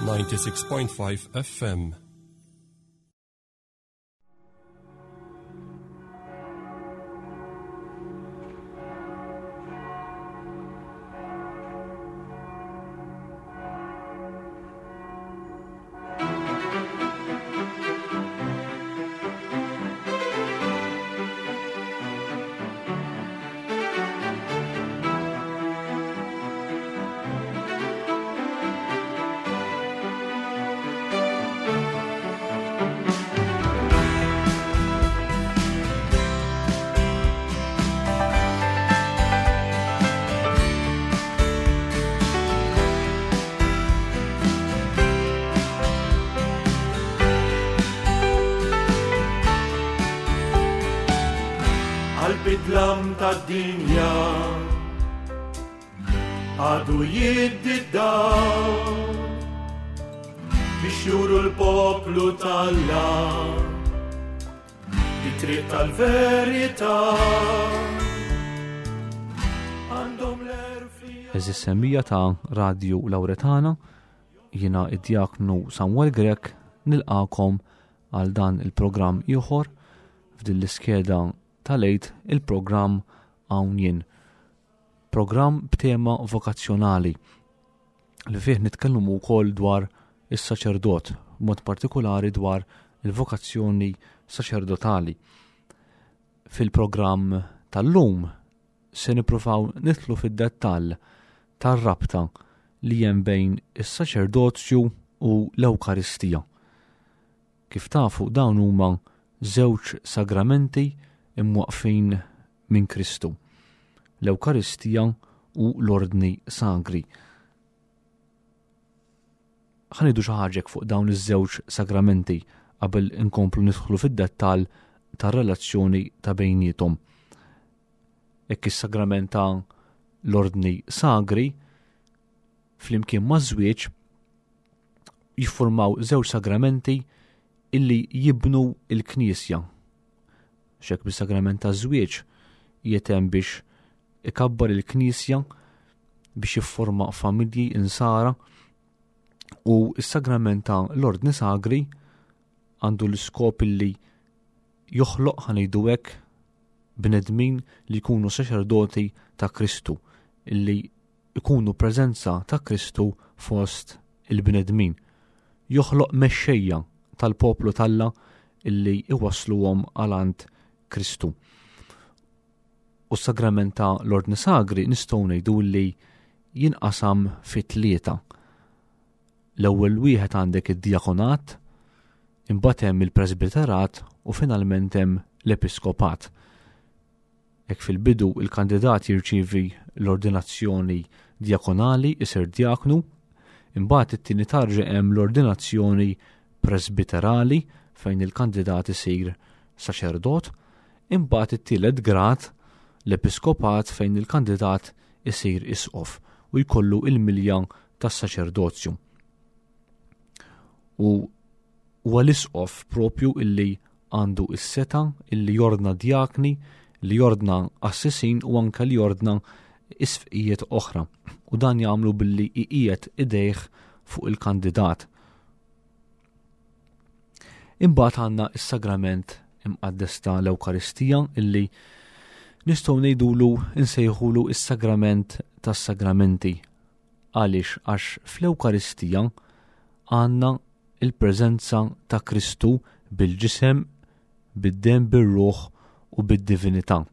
96.5 FM. Qalb tad-dinja għadu jiddi d-dawl biex juru l-poplu talla it-triq tal-verità għandhom l-erfi Eżis semmija ta' Radju Lauretana, jiena id-djaknu Samuel Grech nilqakom għal dan il-programm ieħor f'din l-iskeda tal-Għid il-programm Hawn Jien. Programm b'tema vokazzjonali li fih nitkellmu wkoll dwar is-saċerdot, b'mod partikolari dwar il-vokazzjoni saċerdotali. Fil-programm tal-lum se nippruvaw nidħlu fid-dettall tar-rabta li hemm bejn is-saċerdozju u l-Ewkaristija. Kif tafu dawn huma żewġ sagramenti imwaqqfin minn Kristu, l-Ewkaristija u l-Ordni Sagri. Ħa ngħidu xi ħaġa fuq dawn iż-żewġ sagramenti qabel inkomplu nidħlu fid-dettall tar-relazzjoni ta' bejniethom. Hekk is-sagrament ta' l-Ordni Sagri flimkien maż-żwieġ jiffurmaw żewġ sagramenti illi jibnu il-Knisja. Xek bis-sagrament taż-żwieġ jetem biex ikabbar il-Knisja biex jifforma familji insara u s-sagrament ta' l-Ordni Sagri għandu l-iskop illi joħloq ħanejdu hekk bnedmin li jkunu saċerdoti ta' Kristu illi jkunu preżenza ta' Kristu fost il-bnedmin. Joħloq mexxejja tal-poplu t'Alla illi iwassluhom għal għand Kristu. U s-sagrament ta' l-Ordni Sagri nistgħu ngħidu li jinqasam fi tlieta. L-ewwel wieħed għandek id-diakonat, imbagħad hemm il-presbiterat u finalment hemm l-episkopat. Hekk fil-bidu il-kandidat jirċievi l-ordinazzjoni djakonali, isir djaknu, imbagħad it-tieni tarġa hemm l-ordinazzjoni presbiterali fejn il-kandidat isir saċerdot, imbagħad it-tielet grad l-episkopat fejn il-kandidat isir isqof u jkollu il-milja tas-saċerdozju. U huwa l-isqof propju illi għandu s-setgħa illi jordna djakni, li jordna qassisin u anke li jordna isfqijiet oħra. U dan jagħmlu billi iqiegħed idejh fuq il-kandidat. Imbagħad għandna s-sagrament imqaddes ta' l-Ewkaristija illi nistgħu ngħidulu nsejħulu s-sagrament tas-sagramenti. Għaliex? Għax fl-Ewkaristija għandna il-preżenza ta' Kristu bil-ġisem, bid-demm, bir-ruħ u bid-divinità.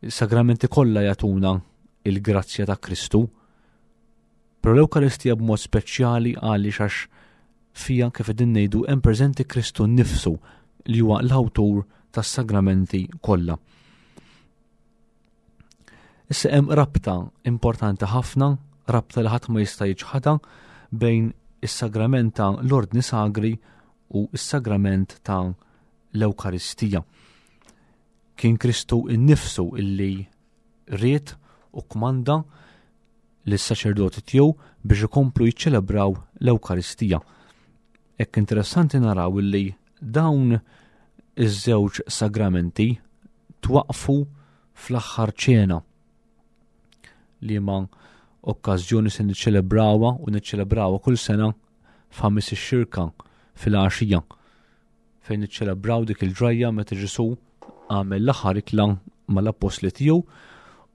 Is-sagramenti kollha jagħtuna il-grazzja ta' Kristu, però l-Ewkaristija b'mod speċjali għaliex għax fija kif qegħdin ngħidu hemm preżenti Kristu nnifsu li huwa l-awtur tas-sagramenti kollha. Issa hemm rabta importanti ħafna, rabta li ħadd ma jista' jiċħadha bejn is-sagrament ta' l-Ordni Sagri u s-sagrament ta' l-Ewkaristija. Kien Kristu innifsu illi ried u kmanda lis-saċerdoti tiegħu biex ikomplu jiċċelebraw l-Ewkaristija. Hekk interessanti naraw illi dawn iż-żewġ sagramenti twaqqfu fl-aħħar ċena liema okkażjoni se niċċelebrawha u niċċelebrawha kull sena f'Ħamis ix-Xirka fil-għaxija fejn niċċelebraw dik il-ġrajja meta Ġesù għamel l-aħħar ikla mal-appostli tiegħu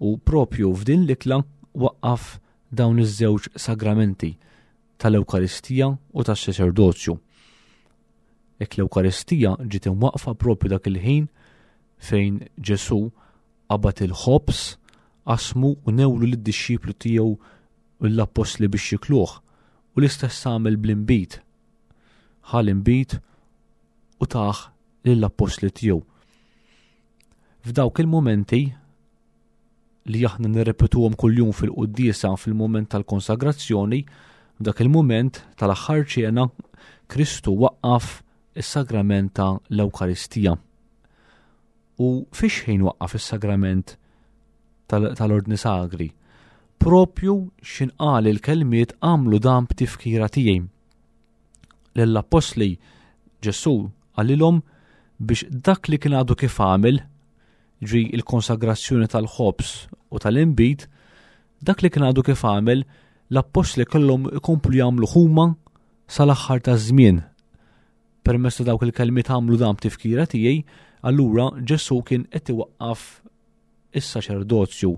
u propju f'din l-ikla waqqaf dawn iż-żewġ sagramenti tal-Ewkaristija u tas-saċerdozju. Hekk l-Ewkaristija ġiet imwaqqfa propju dak il-ħin fejn Ġesù qabad il-ħobż, qasmu u newlu lid-dixxiplu tiegħu u l-appostli biex jikluh, u l-istess għamel bl-inbid. Ħa l-inbid u tah lill-appostli tiegħu. F'dawk il-mumenti li aħna nirrepetuhom kuljum fil-quddiesa fil-mument tal-konsagrazzjoni, f'dak il-mument tal-aħħar ċena, Kristu waqqaf is-sagrament ta' l-Ewkaristija. U fiex ħin waqqaf is-sagrament tal-Ordni Sagri? Propju x'inqal il-kelmiet għamlu dan b'tifkira tiegħi. Lill-appostli Ġesù qalilhom biex dak li kien għadu kif għamel, ġi il-konsagrazzjoni tal-ħobż u tal-inbid, dak li kien għadu kif għamel, l-appostli kellhom ikomplu jagħmlu huma sal-aħħar taż-żmien. Permezz ta' dawk il-kelmiet għamlu dan b'tifkira tiegħi, allura Ġesù kien qed iwaqqaf is-saċerdozju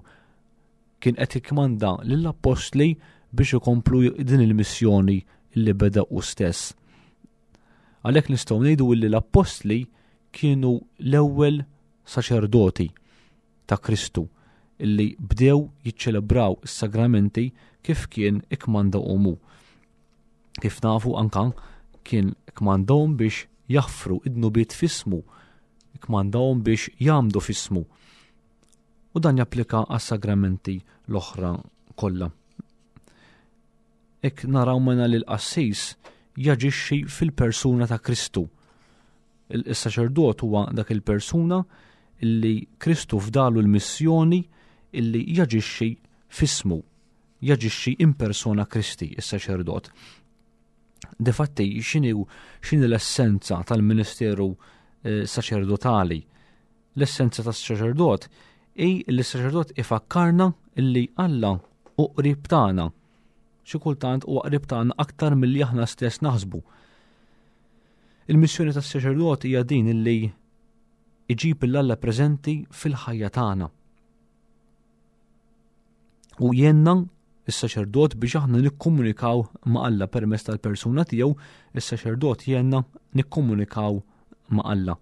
kien qed jikkmanda lill-appostli biex ikomplu din il-missjoni li beda hu stess. Għalhekk nistgħu ngħidu li l-appostli kienu l-ewwel saċerdoti ta' Kristu illi bdew jiċċelebraw is-sagramenti kif kien ikkmanda hu. Kif nafu anka kien kmandahom biex jaħfru id-dnubiet f'ismu, kmandahom biex jagħmdu f'ismu. U dan japplika għas-sagramenti l-oħra kollha. Hekk naraw mena li l-qassis jaġixxi fil-persuna ta' Kristu. Il-saċerdot huwa dak il-persuna illi Kristu fdalu l-missjoni illi jaġixxi f'ismu, jaġixxi in persona Kristi, is-saċerdot. Difatti, x'inhi x'inhi l-essenza tal-ministeru eh, saċerdotali? L-essenza tas-saċerdot hi li s-saċerdot ifakkarna li Alla hu qrib tagħna. Xi kultant huwa qrib tagħna aktar milli aħna stess naħsbu. Il-missjoni tas-saċerdot hija din illi iġib l-Alla preżenti fil-ħajja tagħna. U jenna is-saċerdot biex aħna nikkomunikaw ma' Alla permezz tal-persuna tiegħu, is-saċerdot jenna nikkomunikaw ma' Alla.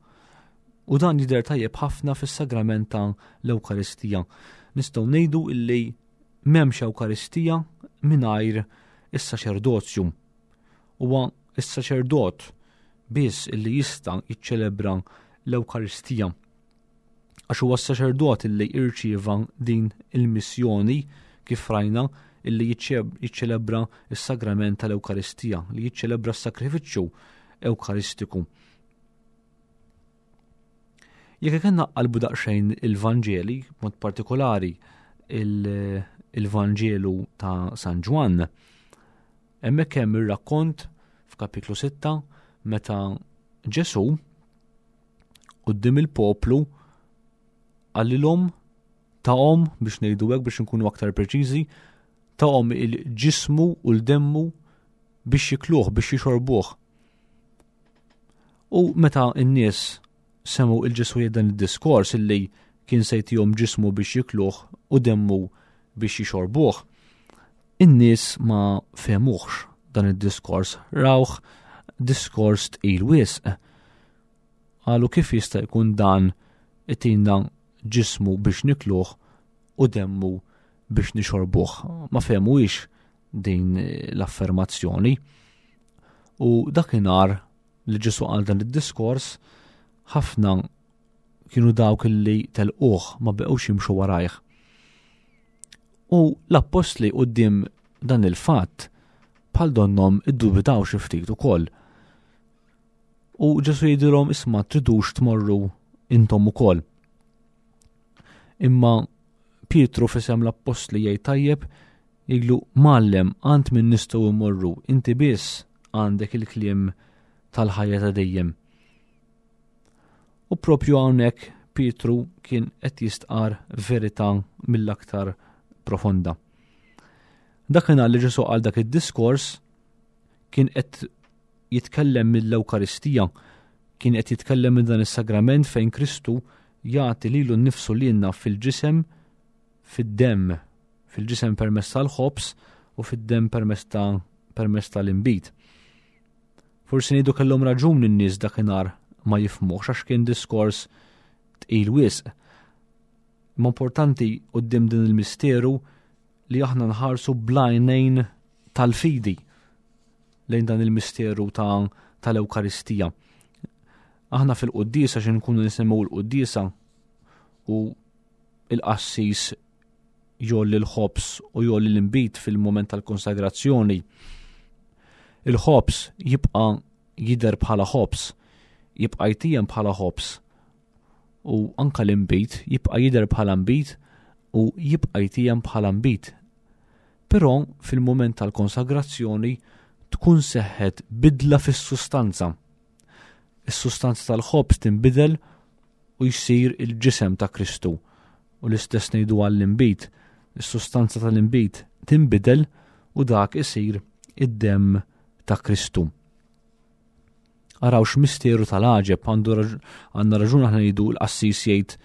U dan jidher tajjeb ħafna fis-sagrament ta' l-Ewkaristija. Nistgħu ngħidu illi m'hemmx Ewkaristija mingħajr is-saċerdozju. Huwa is-saċerdot biss illi jista' jiċċelebra l-Ewkaristija. Għax huwa s-saċerdot illi irċieva din il-missjoni kif rajna illi jiċċelebra s-sagrament tal-Ewkaristija, li jiċċelebra s-sakrifiċċju Ewkaristiku. Jekk ikenna qalbu daqsxejn il-Vanġeli, mod partikolari il-Vanġelu ta' San Ġwann, hemmhekk hemm ir-rakkont f'kapitlu 6 meta Ġesù quddiem il-poplu qalilhom tahom biex ngħidu hekk biex inkunu aktar preċiżi, tahom il-ġismu u l-demmu biex jikluh, biex jixorbuh. U meta n-nies semgħu il-Ġesù jgħid dan id-diskors illi kien se jtihom ġismu biex jikluh u demmu biex jixorbuh, in-nies ma fehmuhx dan id-diskors, rawh diskors tqil wisq. Qalu kif jista' jkun dan itina ġismu biex nikluh u demmu biex nixorbuh. Ma fehmuhiex din l-affermazzjoni. U dakinhar li Ġesù qal dan id-diskors, ħafna kienu dawk li telquh ma beqgħux jimxu warajh. U l-appostli quddiem dan il-fatt bħal donnom iddubitaw xi ftit ukoll. U Ġesù jgħidilhom isma' tridux tmorru intom ukoll. Imma Pietru fisem l-appostli jgħid tajjeb jgħidlu mgħallem għand min nistgħu mmorru, inti biss għandek il-kliem tal-ħajja ta' dejjem. U propju hawnhekk Pietru kien qed jistqar verità mill-aktar profonda. Dakinhar li Ġesù qal dak id-diskors kien qed jitkellem mill-Ewkaristija, kien qed jitkellem minn dan is-sagrament fejn Kristu jagħti lilu nnifsu lilna fil-ġisem fid-demm, fil-ġisem permezz tal-ħobż u fid-demm permezz ta' permezz tal-inbid. Forsi ngħidu kellhom raġun in-nies dakinhar ma jifhmuhx għax kien diskors tqil wisq. Imma importanti quddiem din il-misteru li aħna nħarsu bl-għajnejn tal-fidi lejn dan il-misteru ta' tal-Ewkaristija. Aħna fil-quddiesa xi nkunu nisimgħu l-quddiesa u il-qassis jolli l-ħobż u jolli l-inbid fil-moment tal-konsagrazzjoni. Il-ħobż jibqa' jidher bħala ħobż, jibqa' jtijem bħala ħobż u anka l-inbid jibqa' jidher bħala nbid u jibqa' jtijem bħala nbid. Però fil-moment tal-konsagrazzjoni tkun seħħet bidla fis-sustanza. Is-sustanza tal-ħobż tinbidel u jsir il-ġisem ta' Kristu. U l-istess ngħidu għall-inbid, is-sustanza tal-inbid tinbidel u dak isir id-demm ta' Kristu. Araw x'misteru tal-għaġeb għandu għandna raġun aħna ngħidu l-qassis jgħid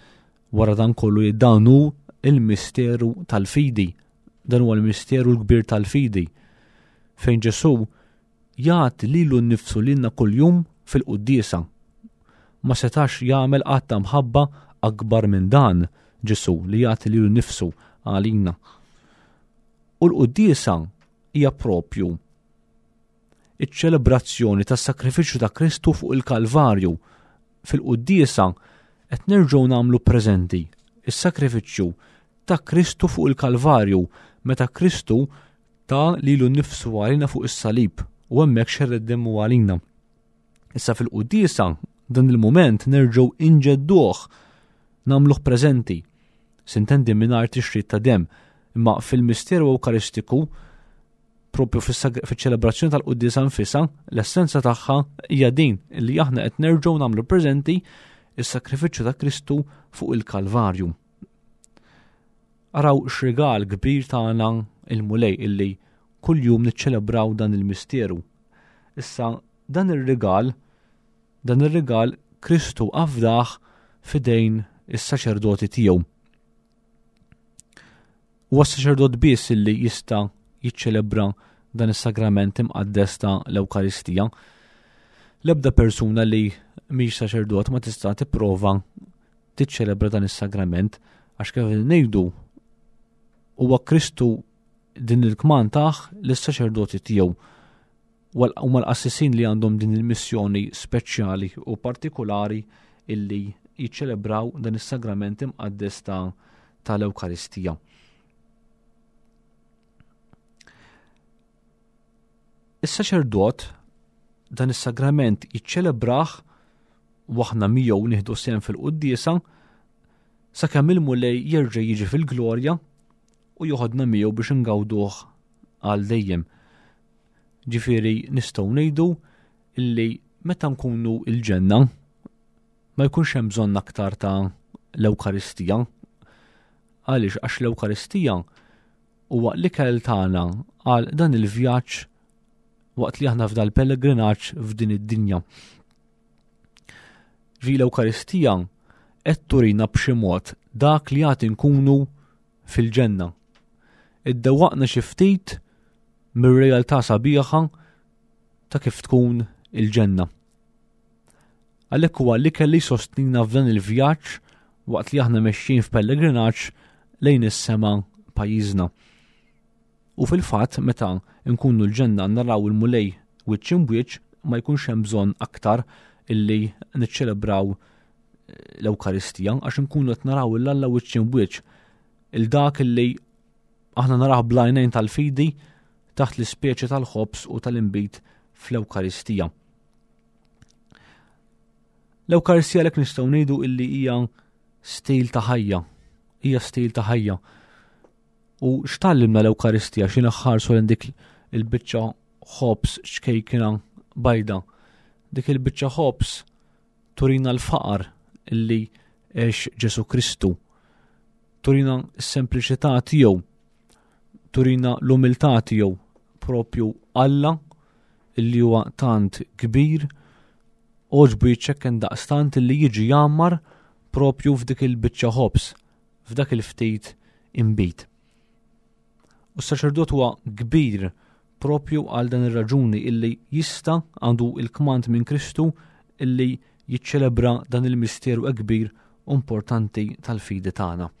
wara dan kollu jgħid dan hu il-misteru tal-fidi. Dan huwa l-misteru l-kbir tal-fidi. Fejn Ġesù jagħti lilu nnifsu lilna kuljum fil-quddiesa. Ma setax jagħmel att ta' mħabba akbar minn dan Ġesù li jagħti lilu nnifsu għalina. U l-quddiesa hija propju iċ-ċelebrazzjoni tas-sakrifiċċju ta' Kristu fuq il-Kalvarju. Fil-quddiesa qed nerġgħu nagħmlu preżenti is-sakrifiċċju ta' Kristu fuq il-Kalvarju meta Kristu ta lilu nnifsu għalina fuq is-salib u hemmhekk xerred demmu għalina. Issa fil-quddiesa dan il-mument nerġgħu inġedduh nagħmluh preżenti. Sintendi mingħajr tixrid ta' demm, imma fil-misteru Ewkaristiku propju fiċ-ċelebrazzjoni tal-quddiesa nfisha, l-essenza tagħha hija din li aħna qed nerġgħu nagħmlu preżenti is-sakrifiċċju ta' Kristu fuq il-Kalvarju. Araw x'rigal kbir tagħna il-Mulej illi kuljum niċċelebraw dan il-misteru. Issa dan ir-rigal, dan ir-rigal Kristu afdah fidejn is-saċerdoti tiegħu. Huwa s-saċerdot biss illi jista' jiċċelebra dan is-sagrament imqaddes ta' l-Ewkaristija. L-ebda persuna li mhix saċerdot ma tista' tipprova tiċċelebra dan is-sagrament għax kif ngħidu huwa Kristu din il-kman taħ lis-saċerdoti tiegħu huma l-qassisin li għandhom din il-missjoni speċjali u partikolari illi jiċċelebraw dan is-sagrament imqaddes ta' tal-Ewkaristija. Is-saċerdot dan is-sagrament jiċċelebrah u aħna miegħu nieħdu sehem fil-quddiesa sakemm il-Mulej jerġa' jiġi fil-glorja u joħodna miegħu biex ingawduh għal dejjem. Ġifieri nistgħu ngħidu illi meta nkunu il-ġenna ma jkunx hemm bżonn aktar ta' l-Ewkaristija. Għaliex għax l-Ewkaristija huwa l-ikel tagħna għal dan il-vjaġġ waqt li aħna f'dal pellegrinaġġ f'din id-dinja. Ġi l-Ewkaristija qed turina b'xi mod dak li għad inkunu fil-ġenna. Iddewwaqna xi ftit mir-realtà sabiħa ta' kif tkun il-ġenna. Għalhekk huwa l-ikel li jsostnina f'dan il-vjaġġ waqt li aħna mexjin f'pellegrinaġġ lejn is-sema pajjiżna. U fil-fatt meta nkunu l-ġenna naraw il-Mulej wiċċ imbwiċċ ma jkunx hemm bżonn aktar illi niċċelebraw l-Ewkaristija għax nkunu qed naraw il Alla wiċċ imbwiċċ il dak illi aħna narah bl-għajnejn tal-fidi taħt l-ispeċi tal-ħobż u tal-inbid fl-Ewkaristija. L-Ewkaristija lek nistgħu ngħidu illi hija stil ta' ħajja, hija stil ta' ħajja. U x'tallimna l-Ewkaristija xi naħħarsu lejn dik il-biċċa ħobż ċkejkina bajda. Dik il-biċċa ħobż turina l-faqar illi għex Ġesu Kristu. Turina s-sempliċità tiegħu. Turina l-umiltà tiegħu propju Alla illi huwa tant kbir għoġbu jiċċekken daqstant illi jiġi jgħammar propju f'dik il-biċċa ħobż, f'dak il-ftit inbid. U s-saċerdot huwa kbir propju għal dan ir-raġuni illi jista' għandu il-kmand minn Kristu illi jiċċelebra dan il-misteru kbir u importanti tal-fidi tagħna.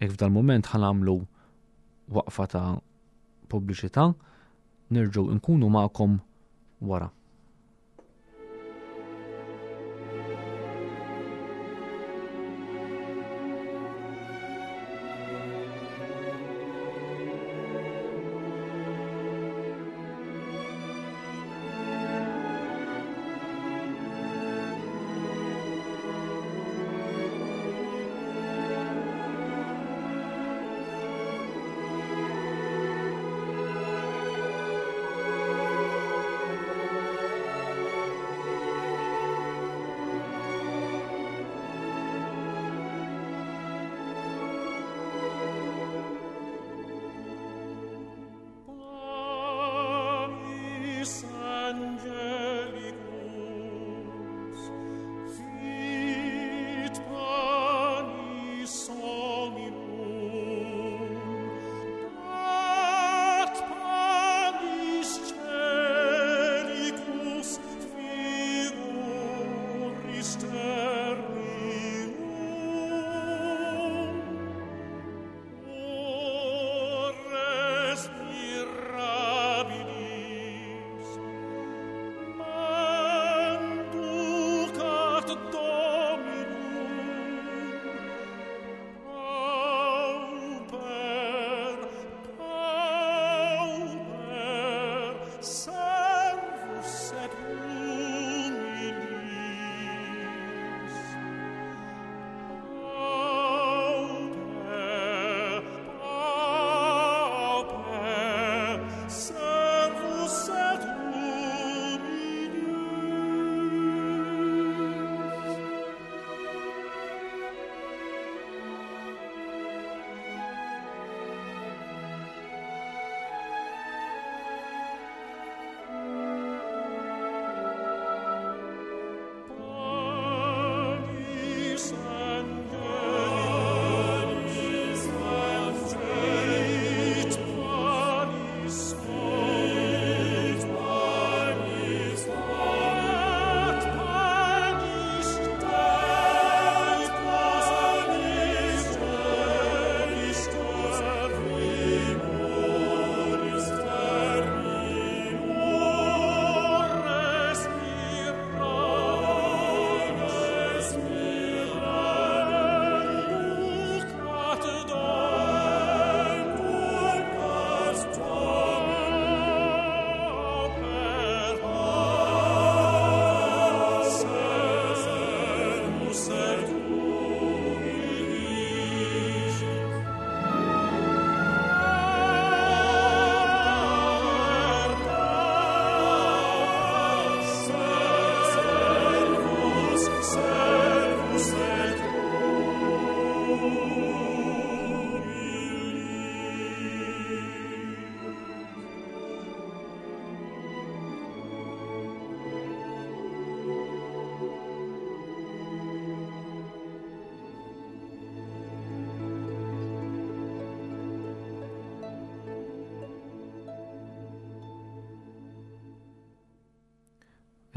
Jekk f'dal mument ħanamlu waqfa ta' pubbliċità, nerġgħu nkunu magħkom wara.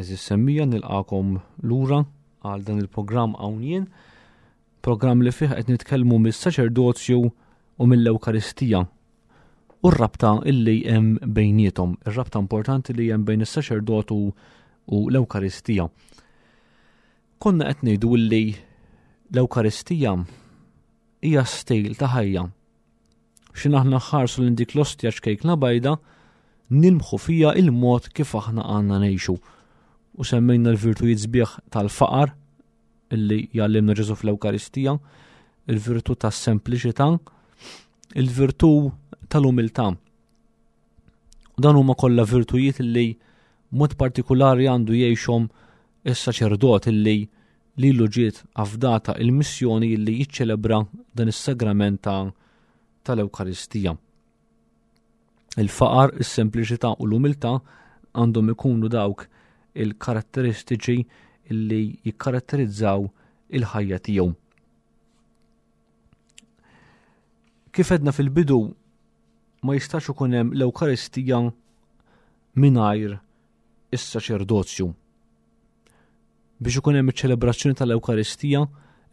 Eżis semmija nilqakom lura għal dan il-programm hawn jien, programm li fih qed nitkellmu mis-saċerdozju u mill-Ewkaristija u r-rabta illi hemm bejniethom, ir-rabta importanti li hemm bejn is-saċerdotu u l-Ewkaristija. Konna qed ngħidu illi l-Ewkaristija hija stil ta' ħajja. X'in aħna ħarsu lil dik l-ostja ċkejkna bajda, nilmħu fija il-mod kif aħna għandna ngħixu. U semmejna l-virtujiet sbieħ tal-faqar illi jgħallimna Ġesu fl-Ewkaristija, il-virtù tas-sempliċità, il-virtù tal-umiltà. U dan huma kollha virtujiet li mod partikulari għandu jgħixhom is-saċerdot illi lilu ġiet afdata il-missjoni illi jiċċelebra dan is-sagrament ta' tal-Ewkaristija. Il-faqar, is-sempliċità u l-umiltà għandhom ikunu dawk il-karatteristiċi li jikkaratterizzaw il-ħajja tiegħu. Kif edna fil-bidu ma jistax ikun hemm l-Ewkaristija mingħajr is-saċerdozju. Biex ikun hemm iċ-ċelebrazzjoni tal-Ewkaristija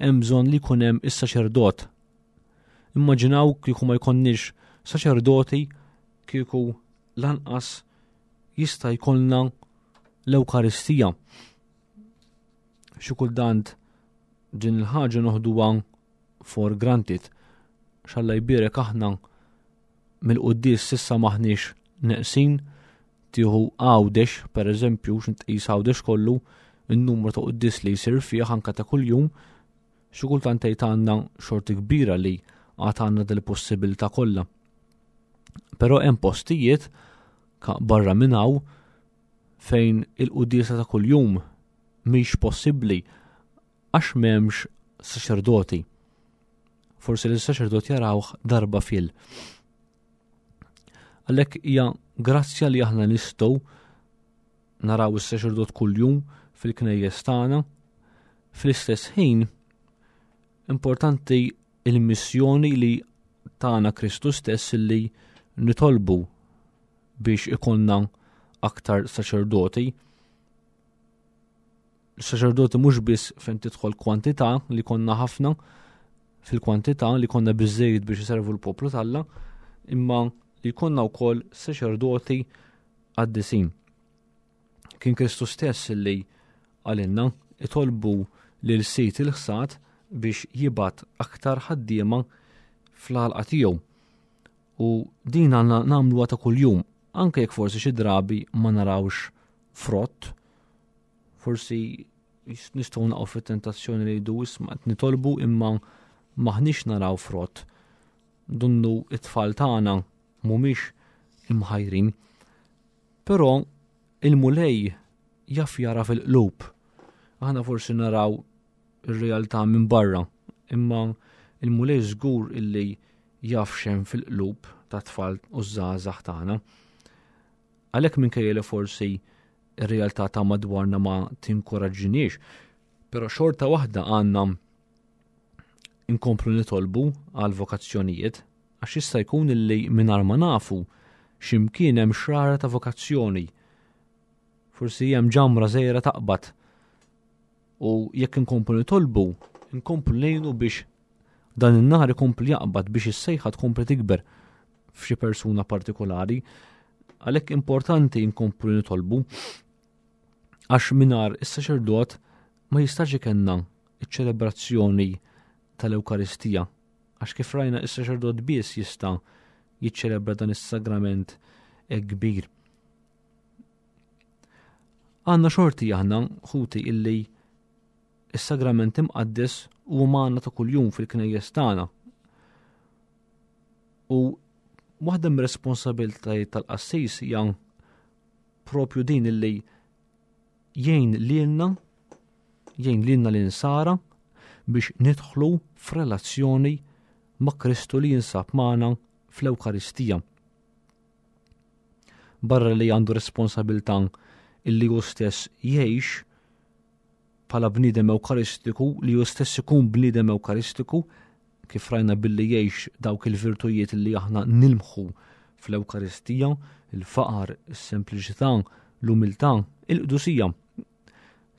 hemm bżonn li jkun hemm is-saċerdot. Immaġinaw kieku ma jkollniex saċerdoti kieku lanqas jista' jkollna l-Ewkaristija. Xi kultant din il-ħaġa noħduha for granted. Xalla jbierek aħna mill-quddies sissa maħniex neqsin tieħu Għawdex, per eżempju, x'intqis Għawdex kollu, in-numru ta' quddies li jsir fih anka ta' kuljum, xi kultant tgħid għandna xorti kbira li għad għandna dil-possibilità kollha. Però hemm postijiet barra minn hawn fejn il-quddiesa ta' kuljum mhix possibbli għax m'hemmx saċerdoti. Forsi li saċerdot jarawh darba fil. Għalhekk hija grazzja li aħna nistgħu naraw is-saċerdot kuljum fil-knejjes tagħna. Fl-istess ħin importanti il-missjoni li tagħna Kristu stess li nitolbu biex ikollna aktar saċerdoti. Saċerdoti mhux biss fejn tidħol kwantità li konna ħafna fil-kwantità li konna biżejjed biex iservu l-poplu talla, imma li konna wkoll saċerdoti qaddisin. Kien Kristu stess li għalinna itolbu lil sit il-ħsad biex jibgħat aktar ħaddiema fl-għalqa tiegħu. U din għandna nagħmluha ta' kuljum, anke jekk forsi xi drabi ma narawx frott, forsi nistgħu naqgħu fit-tentazzjoni li jdu isma' qed nitolbu imma maħniex naraw frott. Dunnu it-tfal tagħna mhumiex imħajrin. Però il-Mulej jaf jara fil-qlub. Aħna forsi naraw ir-realtà minn barra, imma il-Mulej żgur illi jaf x'hemm fil-qlub ta' tfal u żgħażagħ tagħna. Għalhekk minkejja li forsi ir-realtà ta' madwarna ma tinkoraġġiniex, però xorta waħda għandna inkomplu nitolbu għal vokazzjonijiet, għax jista' jkun illi mingħajr ma nafu x'imkien hemm xrara ta' vokazzjoni. Forsi hemm ġamra żgħira taqbad. U jekk inkomplu nitolbu, inkomplu ngħinu biex dan in-nar ikompli jaqbad biex is-sejħa tkompli tikber f'xi persuna partikolari. Għalhekk importanti nkomplu nitolbu għax mingħajr is-saċerdot ma jistax ikenna iċ-ċelebrazzjoni tal-Ewkaristija għax kif rajna is-saċerdot biss jista' jiċċelebra dan is-sagrament kbir. Għandna xorti aħna ħuti illi is-sagrament imqaddes huwa magħna ta' kuljum fil-knejjes tagħna. U waħda mir-responsabiltajiet tal-qassis hija propju din illi jgħin lilna jgħin lilna l-insara biex nidħlu f'relazzjoni ma' Kristu li jinsab magħna fl-Ewkaristija. Barra li għandu responsabilta illi hu stess jgħix bħala bniedem Ewkaristiku, li hu stess ikun bniedem Ewkaristiku, kif rajna billi jgħix dawk il-virtujiet li aħna nilmħu fl-Ewkaristija, il-faqar, is-sempliċità, l-umiltà, il-qdusija.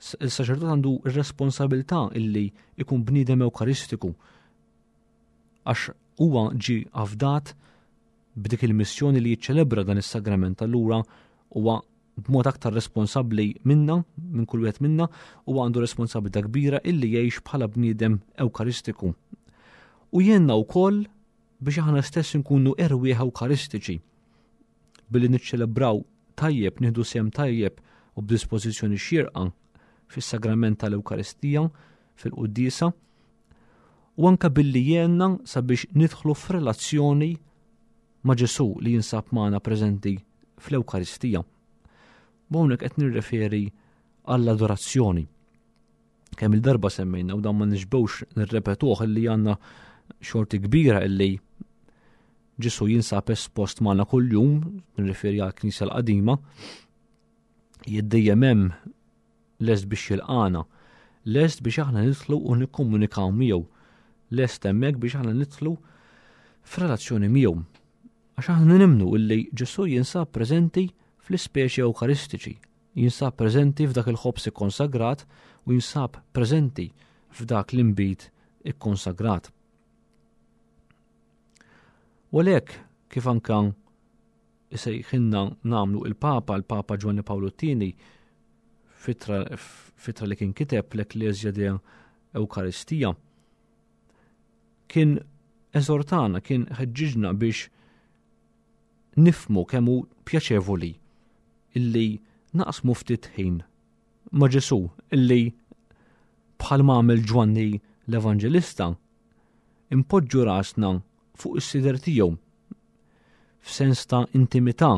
Il-saċerdot għandu r-responsabilità illi ikun bniedem Ewkaristiku għax huwa ġi afdat b'dik il-missjoni li jiċċelebra dan is-sagrament allura huwa b'mod aktar responsabbli minna, minn kull wieħed minna, u għandu responsabilità kbira illi jgħix bħala bniedem ewkaristiku. U jenna wkoll biex aħna stess nkunu erwieħ ewkaristiċi billi niċċelebraw tajjeb, nieħdu sehem tajjeb u b'dispożizzjoni xierqa fis-sagrament tal-Ewkaristija, fil-quddiesa, u anka billi jenna sabiex nidħlu f'relazzjoni ma' Ġesù li jinsab magħna preżenti fl-Ewkaristija. Hawnhekk qed nirreferi għall-adorazzjoni. Kemm il-darba semmejna u dan ma nixbewx nirrepetuh illi għandna xorti kbira illi Ġesù jinsab espost magħna kuljum, nirreferi għall-Knisja l-qadima, jiddejjem hemm lest biex jilqana, lest biex aħna nidħlu u nikkomunikaw miegħu, lest hemmhekk biex aħna nidħlu f'relazzjoni miegħu. Għax aħna nimnu illi Ġesù jinsab preżenti fl-ispeċi Ewkaristiċi, jinsab preżenti f'dak il-ħobż ikkonsagrat u jinsab preżenti f'dak l-inbid ikkonsagrat. U għalhekk kif anka isejħilna nagħmlu il-Papa, il-Papa Ġwanni Pawlu t-Tieni, fitra li kien kiteb l-Ecclesia de Eucharistia, kien eżortana, kien ħeġġiġna biex nifmu kemm hu pjaċevoli illi naqsmu ftit ħin ma' Ġesù illi bħal għamel Ġwanni l-Evanġelista Inpoġġu rasna fuq is-sider tiegħu f'sens ta' intimità,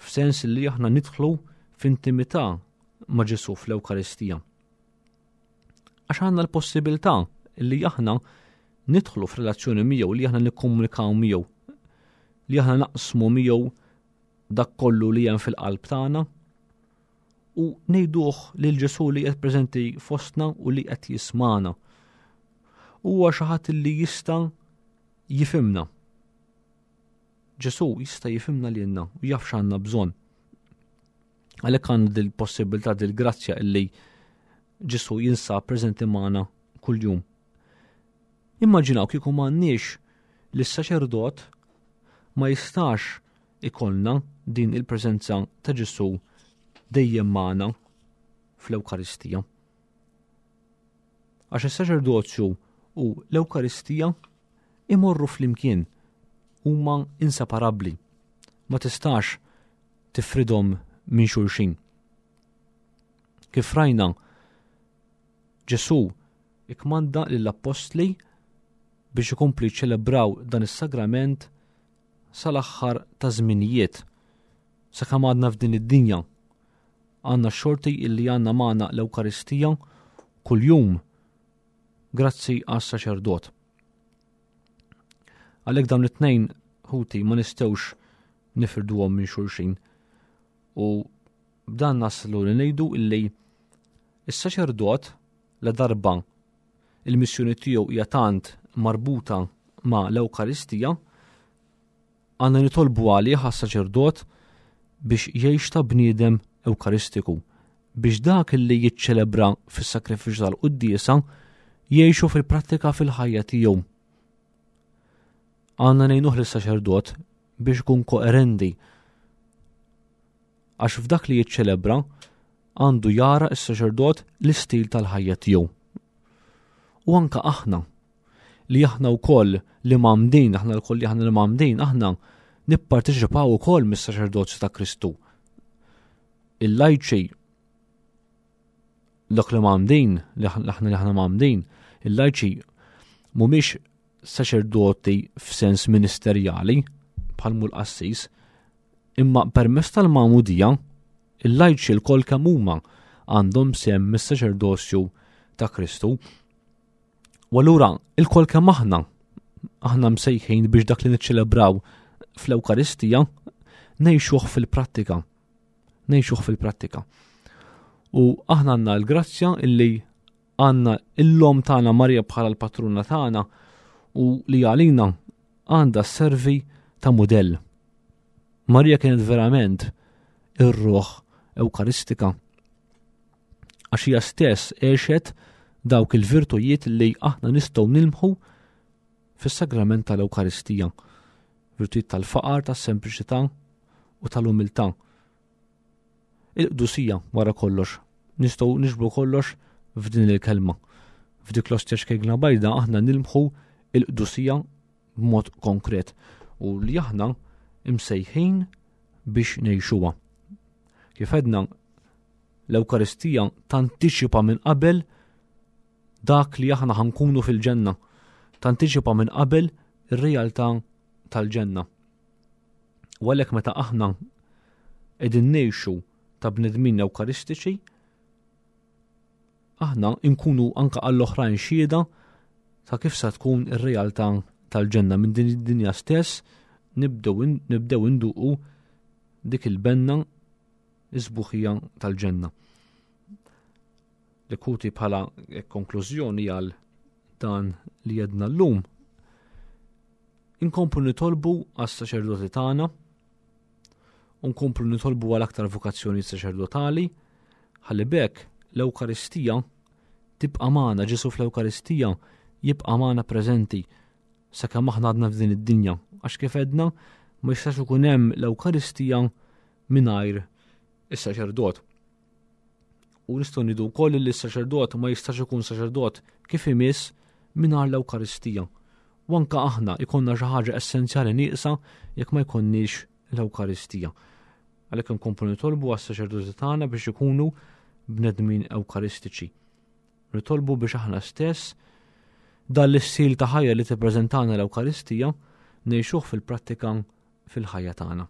f'sens li aħna nidħlu f'intimità ma' Ġesù fl-Ewkaristija. Għax għandna l-possibilità li aħna nidħlu f'relazzjoni miegħu, li aħna nikkomunikaw miegħu, li aħna naqsmu miegħu dak kollu li hemm fil-qalb tagħna u ngħiduh lil Ġesù li qed preżenti fostna u li qed jismana. Huwa xi ħadd li jista' jifhimna. Ġesù jista' jifhimna lilna u jaf x'għandna bżonn. Għalhekk għandna dil-possibilità dil-grazzja illi Ġesù jinsab preżenti magħna kuljum. Immaġinaw kieku m'għandniex li s-saċerdot ma jistax ikollna din il-preżenza ta' Ġesù dejjem magħna fl-Ewkaristija. Għax is-saċerdozju u l-Ewkaristija imorru flimkien huma inseparabbli. Ma tistax tifridhom minn xulxin. Kif rajna, Ġesù ikkmanda lill-appostli biex ikomplu jiċċelebraw dan is-sagrament sal-aħħar ta' żminijiet. Sakemm għadna f'din id-dinja, għandna x-xorti illi għandna magħna l-Ewkaristija kuljum grazzi għas-saċerdot. Għalhekk dawn it-tnejn ħuti ma nistgħux nifirduhom minn xulxin. U b'dan naslu li ngħidu illi is-saċerdot la darba il-missjoni tiegħu hija tant marbuta ma' l-Ewkaristija, għandna nitolbu għalih għas-saċerdot biex jgħix ta' bniedem Ewkaristiku, biex dak li jiċċelebra fis-sakrifiċċju tal-quddiesa jgħixu fil-prattika fil-ħajja tiegħu. Għandna ngħinuh lis-saċerdot biex ikun koerenti għax f'dak li jiċċelebra għandu jara s-saċerdot l-istil tal-ħajja tiegħu. U anka aħna li aħna wkoll li mamdin, aħna lkoll li aħna li mamdin, aħna nipparteċipaw ukoll mis-saċerdozju ta' Kristu. Il-lajċi dak li mamdin, li aħna li aħna mamdin, il-lajċi mhumiex saċerdoti f'sens ministerjali bħal mul qassis, Imma permezz tal-magħmudija, il-lajċi lkoll kemm huma għandhom sehem mis-saċerdozju ta' Kristu. U allura ilkoll kemm aħna aħna msejħin biex dak li niċċelebraw fl-Ewkaristija ngħixuh fil-prattika. Ngħixuh fil-prattika. U aħna għandna l-grazzja illi għandna l-lom tagħna Marija bħala l-patruna tagħna u li għalina għandha servi ta' mudell. Marija kienet verament ir-ruħ Ewkaristika. Għax hija stess għexet dawk il-virtujiet li aħna nistgħu nilmħu fis-sagrament tal-Ewkaristija. Virtujiet tal-faqar, tas-sempliċità u tal-umiltà. Il-qdusija wara kollox. Nistgħu niġbru kollox f'din il-kelma. F'dik l-ostja xkejgna bajda aħna nilmħu il-qdusija b'mod konkret u li aħna imsejħin biex ngħixuha. Kif għedna l-Ewkaristija tantiċipa minn qabel dak li aħna ħankunu fil-ġenna, tantiċipa minn qabel ir-realtà tal-ġenna. U għalhekk meta aħna qegħdin ngħixu ta' bnedmin Ewkaristiċi, aħna nkunu anka għall-oħrajn xhieda ta' kif sa tkun ir-realtà tal-ġenna minn din id-dinja stess nibdew induqu dik il-benna is-sbuħija tal-ġenna. Lekuti bħala konklużjoni għal dan li jedna l-lum, inkomplu nitolbu għas-saċerdoti tagħna, u nkomplu nitolbu għal aktar vokazzjoni saċerdotali, ħalli bekk l-Ewkaristija tibqa' magħna, Ġesu fl-Ewkaristija jibqa' magħna preżenti sakemm aħna għadna f'din id-dinja, għax kif għedna ma jistax ikun hemm l-Ewkaristija mingħajr is-saċerdot. U nistgħu ngħidu wkoll li s-saċerdot ma jistax ikun saċerdot kif imiss mingħajr l-Ewkaristija. U anke aħna ikonna xi ħaġa essenzjali nieqsa jekk ma jkollniex l-Ewkaristija. Għalhekk inkomplu nitolbu għas-saċerdoti tagħna biex ikunu bnedmin ewkaristiċi. Nitolbu biex aħna stess dan l-istil ta' ħajja li tippreżentana l-Ewkaristija ngħixuh fil-prattika fil-ħajja tagħna.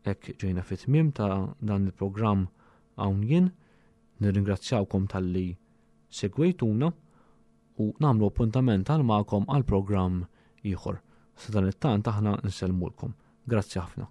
Hekk ġejna fit-tmiem ta' dan il-programm hawn jien, nirringrazzjawkom talli segwejtuna u nagħmlu appuntament għal magħkom għal programm ieħor. Sa dan it-tant aħna nsellmulkom. Grazzi ħafna.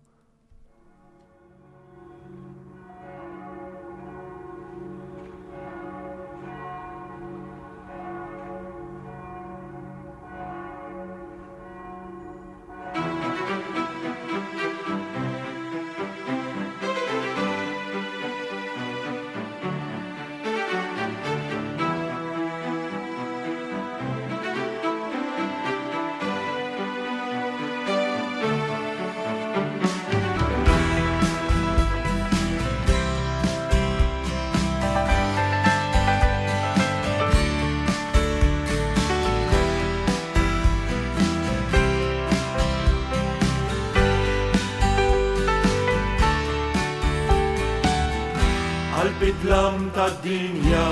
Qalb tad-dinja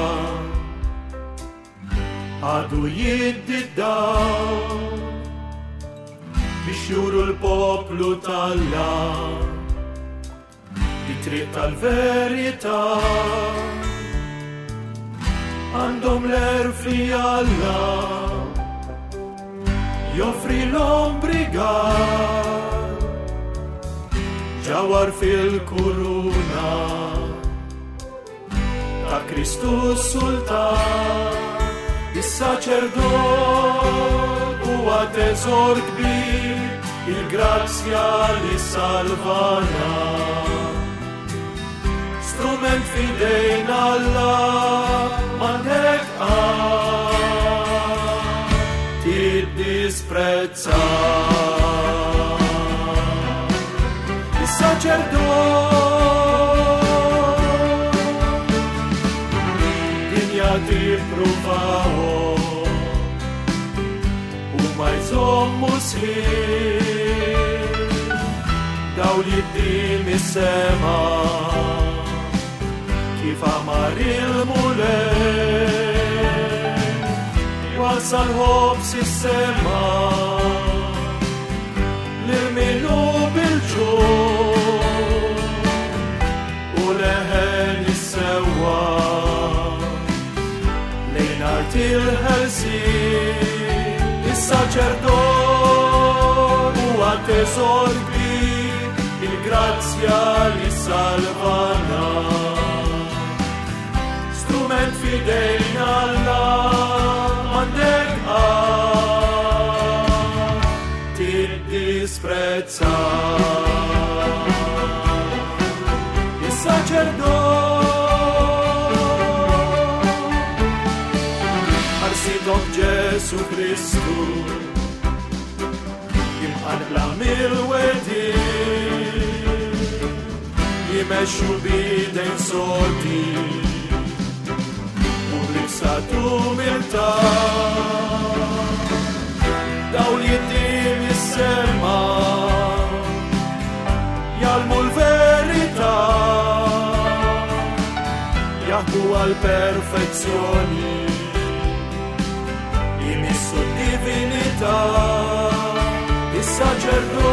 għadu jiddi d-dawl biex juru l-poplu talla it-triq tal-verità għandhom l-erf li Alla joffri l-ombrigal ġawar fil-kuruna ta' Kristu Sultan, is-saċerdot huwa teżor kbir, il-grazzja li salvana. Strument fidejn Alla m'għandek tiddisprezza. Is-saċerdot dinja tippruvahom u ma jżommu sħiħ dawl jiddi mis-sema kif amar il-Mulej wasal ħobs is-sema lil min hu bil-ġuħ u leħen is-sewwa lejn art il-ħelsien. Is-saċerdot huwa teżor kbir, il-grazzja li salvana. Strument fidejn Alla m'għandek tiddisprezza. Is-saċerdot ħarsitok Ġesu Kristu imqanqla mill-wedi jmexxu bidejn sodi u bl-ibsat umiltà dawl jiddi mis-sema jgħallmu l-verità jaħdu għall-perfezzjoni jmissu d-divinità. Is-saċerdot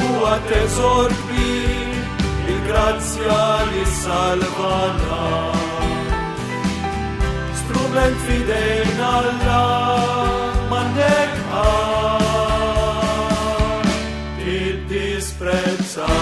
huwa teżor kbir, il-grazzja li salvana. Strument fidejn Alla m'għandek disprezzat.